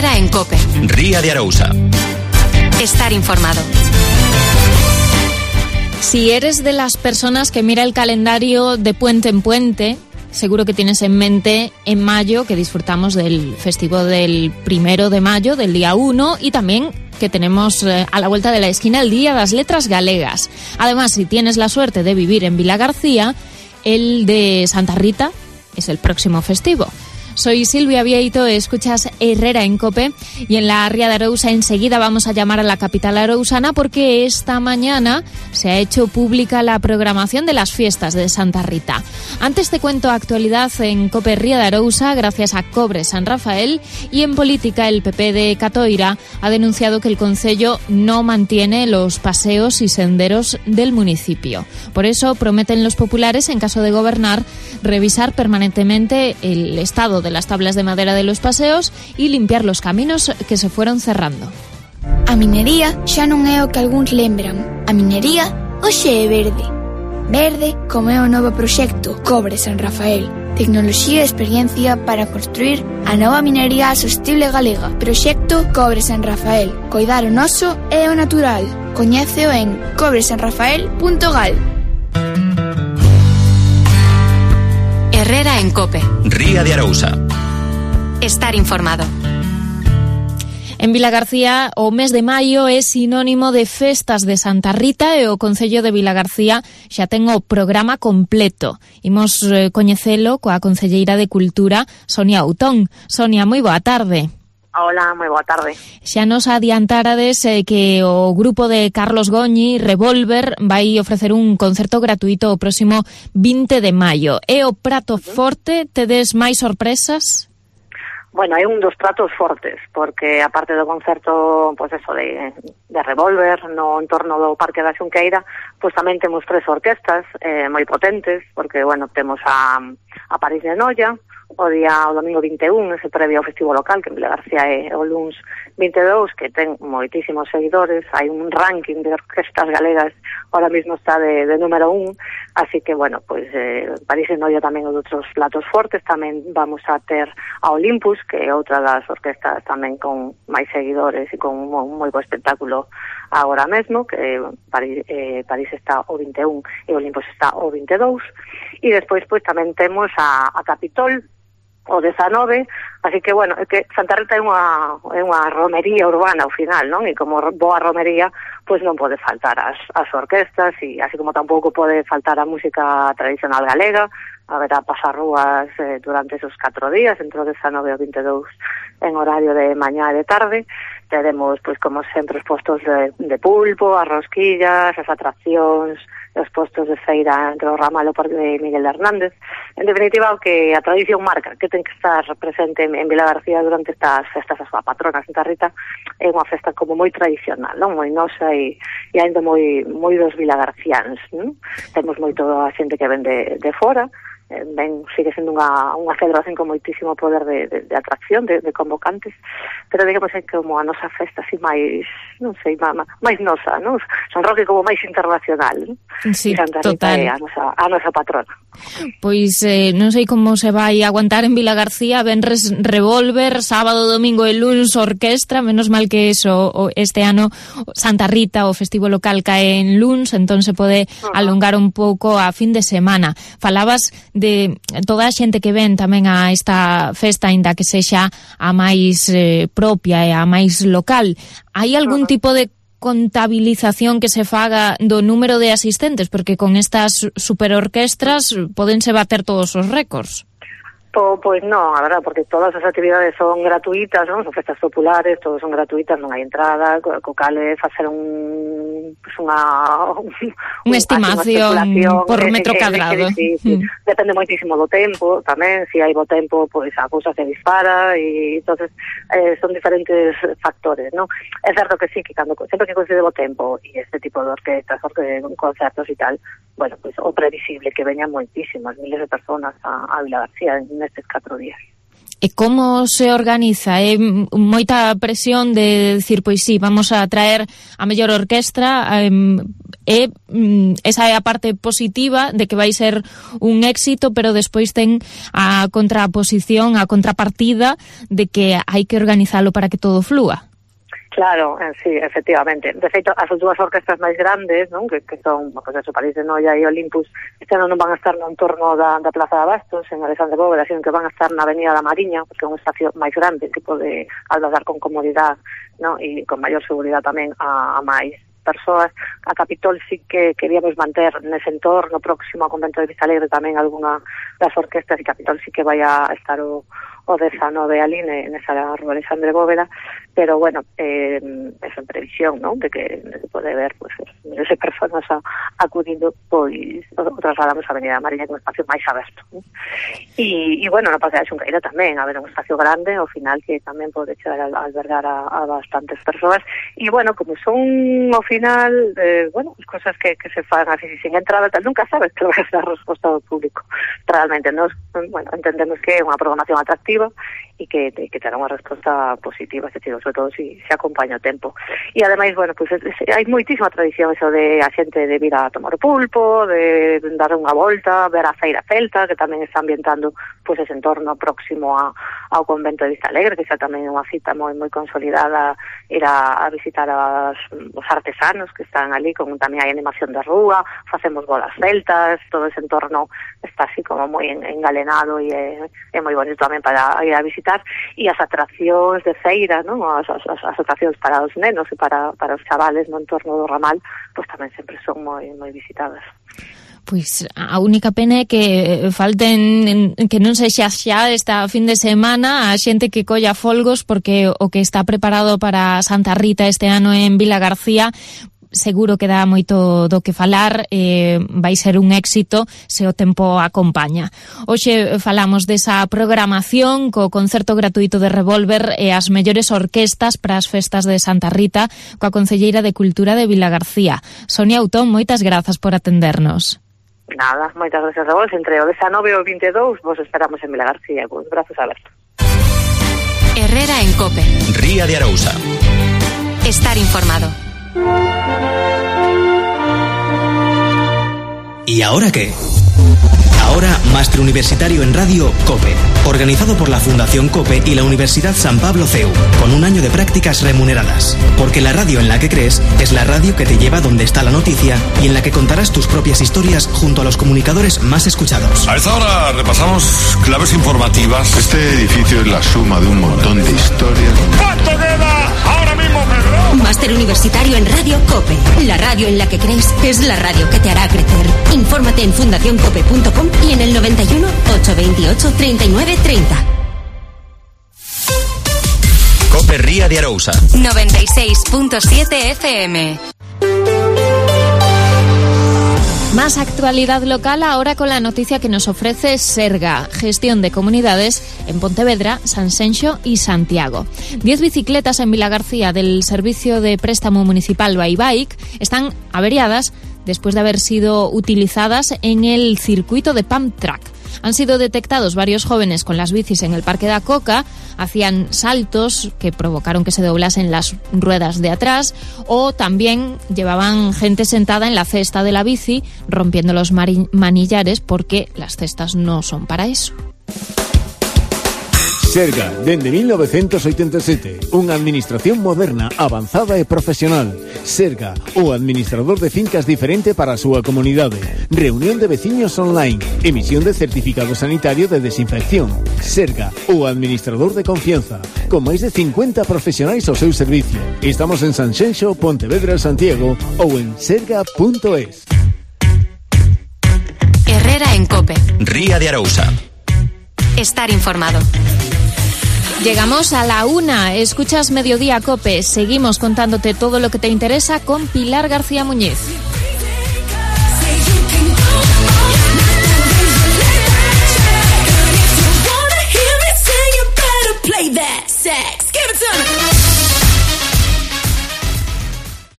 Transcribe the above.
Herrera en COPE. Ría de Arousa. Estar informado. Si eres de las personas que mira el calendario de puente en puente, seguro que tienes en mente en mayo que disfrutamos del festivo del 1 de mayo, del día 1, y también que tenemos a la vuelta de la esquina el Día das Letras Galegas. Además, si tienes la suerte de vivir en Vilagarcía, el de Santa Rita es el próximo festivo. Soy Silvia Vieito, escuchas Herrera en COPE, y en la Ría de Arousa enseguida vamos a llamar a la capital arousana porque esta mañana se ha hecho pública la programación de las fiestas de Santa Rita. Antes te cuento actualidad en COPE Ría de Arousa gracias a Cobre San Rafael, y en política el PP de Catoira ha denunciado que el concello no mantiene los paseos y senderos del municipio. Por eso prometen los populares, en caso de gobernar, revisar permanentemente el estado de las tablas de madera de los paseos y limpiar los caminos que se fueron cerrando. A minería xa non é o que algúns lembran. A minería hoxe é verde. Verde como é o novo proxecto Cobre San Rafael. Tecnoloxía e experiencia para construir a nova minería sostible galega. Proxecto Cobre San Rafael. Coidar o noso e o natural. Coñéceo en cobresanrafael.gal. Herrera en COPE. Ría de Arousa. Estar informado. En Vilagarcía, o mes de maio é sinónimo de festas de Santa Rita, e o Concello de Vilagarcía xa ten o programa completo. Imos coñecelo coa concelleira de Cultura, Sonia Outón. Sonia, moi boa tarde. Hola, moi boa tarde. Xa nos adiantarades que o grupo de Carlos Goñi, Revolver, vai ofrecer un concerto gratuito o próximo 20 de maio. É o prato forte? Tedes máis sorpresas? Bueno, é un dos pratos fortes, porque aparte do concerto, pois eso, de Revolver no entorno do Parque da Xunqueira, pois tamén temos 3 orquestas moi potentes, porque, bueno, temos a París de Noia, o domingo 21, ese previo ao festivo local, que en Vilagarcía é o luns 22, que ten moitísimos seguidores. Hai un ranking de orquestas galegas, ahora mismo está de número 1, así que, bueno, pues París e Noia tamén é outros platos fortes. Tamén vamos a ter a Olympus, que é outra das orquestas tamén con máis seguidores e con un moi bo espectáculo agora mesmo, que París está o 21 e Olympus está o 22, e despois pues tamén temos a Capitol o 19, así que, bueno, é que Santa Rita é unha romería urbana ao final, non? E como boa romería, pois non pode faltar as orquestas, e así como tampouco pode faltar a música tradicional galega. Haberá pasarrúas durante esos 4 días, entre o 19 e o 22, en horario de mañá e de tarde. Teremos, pois, como sempre, os postos de pulpo, as rosquillas, as atraccións, os postos de feira entre o ramal e o Parque de Miguel Hernández. En definitiva, o que a tradición marca, que ten que estar presente en Vilagarcía durante estas festas, a súa patrona, Santa Rita, é unha festa como moi tradicional, non? Moi nosa e ainda moi dos vilagarciáns, non? Temos moito a xente que ven de fora. Sigue sendo unha celebración con moitísimo poder de atracción, de convocantes, pero digamos é como a nosa festa así máis, non sei, máis nosa, non? Son Roque como máis internacional, non? Sí, Santa Rita é a nosa patrona. Pois non sei como se vai aguantar en Vilagarcía, venres Revolver, sábado, domingo e luns orquestra, menos mal que eso, este ano Santa Rita, o festivo local, cae en luns, entón se pode alongar un pouco a fin de semana. Falabas de toda a xente que ven tamén a esta festa, aínda que sexa a máis propia e a máis local. Hai algún tipo de contabilización que se faga do número de asistentes? Porque con estas superorquestras podense bater todos os récords. Pois non, a verdad, porque todas as actividades son gratuitas, non? Son festas populares, todas son gratuitas, non hai entrada, co cal é facer unha estimación por metro cadrado. Depende moitísimo do tempo, tamén, se hai bo tempo, pois a cousa se dispara, e entonces son diferentes factores, non? É certo que sí, que sempre que coincide bo tempo e este tipo de orquestas, concertos e tal, bueno, pois o previsible que veñan moitísimas, miles de personas a Vilagarcía nestes 4 días. E como se organiza? É moita presión de decir, pois sí, vamos a traer a mellor orquestra, esa é a parte positiva de que vai ser un éxito, pero despois ten a contraposición, a contrapartida de que hai que organizalo para que todo flúa. Claro, sí, efectivamente. De feito, as dúas orquestras máis grandes, non, que son, pues eso, París de Noia e Olympus, este ano non van a estar no entorno da Plaza de Abastos, en Alexandre Bóveda, sino que van a estar na Avenida da Mariña, porque é un espacio máis grande que pode albergar con comodidade, non, e con maior seguridade tamén a máis persoas. A Capitol sí que queríamos manter nese entorno próximo ao Convento de Vistalegre tamén algunha das orquestas, e Capitol sí que vai a estar o 19 ali nesa rúa Alexandre Bóveda, pero bueno, eso en previsión, ¿no?, de que pode haber pues miles de personas acudindo, pois o trasladamos a Avenida Mariña con un espacio máis aberto, ¿no? E bueno, no Parque da Xunqueira tamén haber un espacio grande ao final que tamén pode chegar a albergar a bastantes persoas, e bueno, como son ao final bueno, as cosas que se fan así sin entrada, tal, nunca sabes que vai a ser a resposta do público. Realmente nos, bueno, entendemos que é unha programación atractiva e que terá unha resposta positiva, sobre todo se acompaña o tempo. E ademais, bueno, pues hai moitísima tradición eso de a xente de vir a tomar pulpo, de dar unha volta, ver a feira celta, que tamén está ambientando pues ese entorno próximo ao Convento de Vistalegre, que xa tamén é unha cita moi consolidada, ir a visitar os artesanos que están ali, con tamén hai animación de rúa, facemos bolas celtas, todo ese entorno está así como moi engalenado e é moi bonito tamén para ir a visitar, e as atraccións de feira, ¿no?, as atraccións para os nenos e para os chavales no entorno do ramal, pues tamén sempre son moi visitadas. Pois a única pena é que falten, que non sexa xa esta fin de semana a xente que colla folgos, porque o que está preparado para Santa Rita este ano en Vilagarcía seguro que dá moito do que falar, vai ser un éxito se o tempo acompaña. Hoxe falamos desa programación co concerto gratuito de Revolver e as mellores orquestas para as festas de Santa Rita coa concelleira de Cultura de Vilagarcía. Sonia Autón, moitas grazas por atendernos. Nada, moitas gracias a vos. Entre o 19 e o 22 vos esperamos en Vilagarcía con os brazos abertos. Herrera en COPE. Ría de Arousa. Estar informado. ¿Y ahora qué? Ahora, Máster Universitario en Radio COPE, organizado por la Fundación COPE y la Universidad San Pablo CEU, con un año de prácticas remuneradas. Porque la radio en la que crees es la radio que te lleva donde está la noticia y en la que contarás tus propias historias junto a los comunicadores más escuchados. A esta hora repasamos claves informativas. Este edificio es la suma de un montón de historias. ¿Cuánto queda ahora mismo, Pedro? Máster Universitario en Radio COPE. La radio en la que crees es la radio que te hará crecer. Infórmate en fundacioncope.com y en el 91 828 39 30. COPE Ría de Arousa. 96.7 FM. Más actualidad local ahora con la noticia que nos ofrece Serga, gestión de comunidades en Pontevedra, Sanxenxo y Santiago. 10 bicicletas en Vilagarcía del servicio de préstamo municipal Bybike están averiadas después de haber sido utilizadas en el circuito de Pump Track. Han sido detectados varios jóvenes con las bicis en el Parque da Coca, hacían saltos que provocaron que se doblasen las ruedas de atrás, o también llevaban gente sentada en la cesta de la bici rompiendo los manillares, porque las cestas no son para eso. Serga, dende 1987, unha administración moderna, avanzada e profesional. Serga, o administrador de fincas diferente para a súa comunidade. Reunión de veciños online, emisión de certificado sanitario de desinfección. Serga, o administrador de confianza, con máis de 50 profesionais ao seu servicio. Estamos en Sanxenxo, Pontevedra, Santiago ou en serga.es. Herrera en COPE. Ría de Arousa. Estar informado. Llegamos a la 1, escuchas Mediodía COPE, seguimos contándote todo lo que te interesa con Pilar García Muñiz.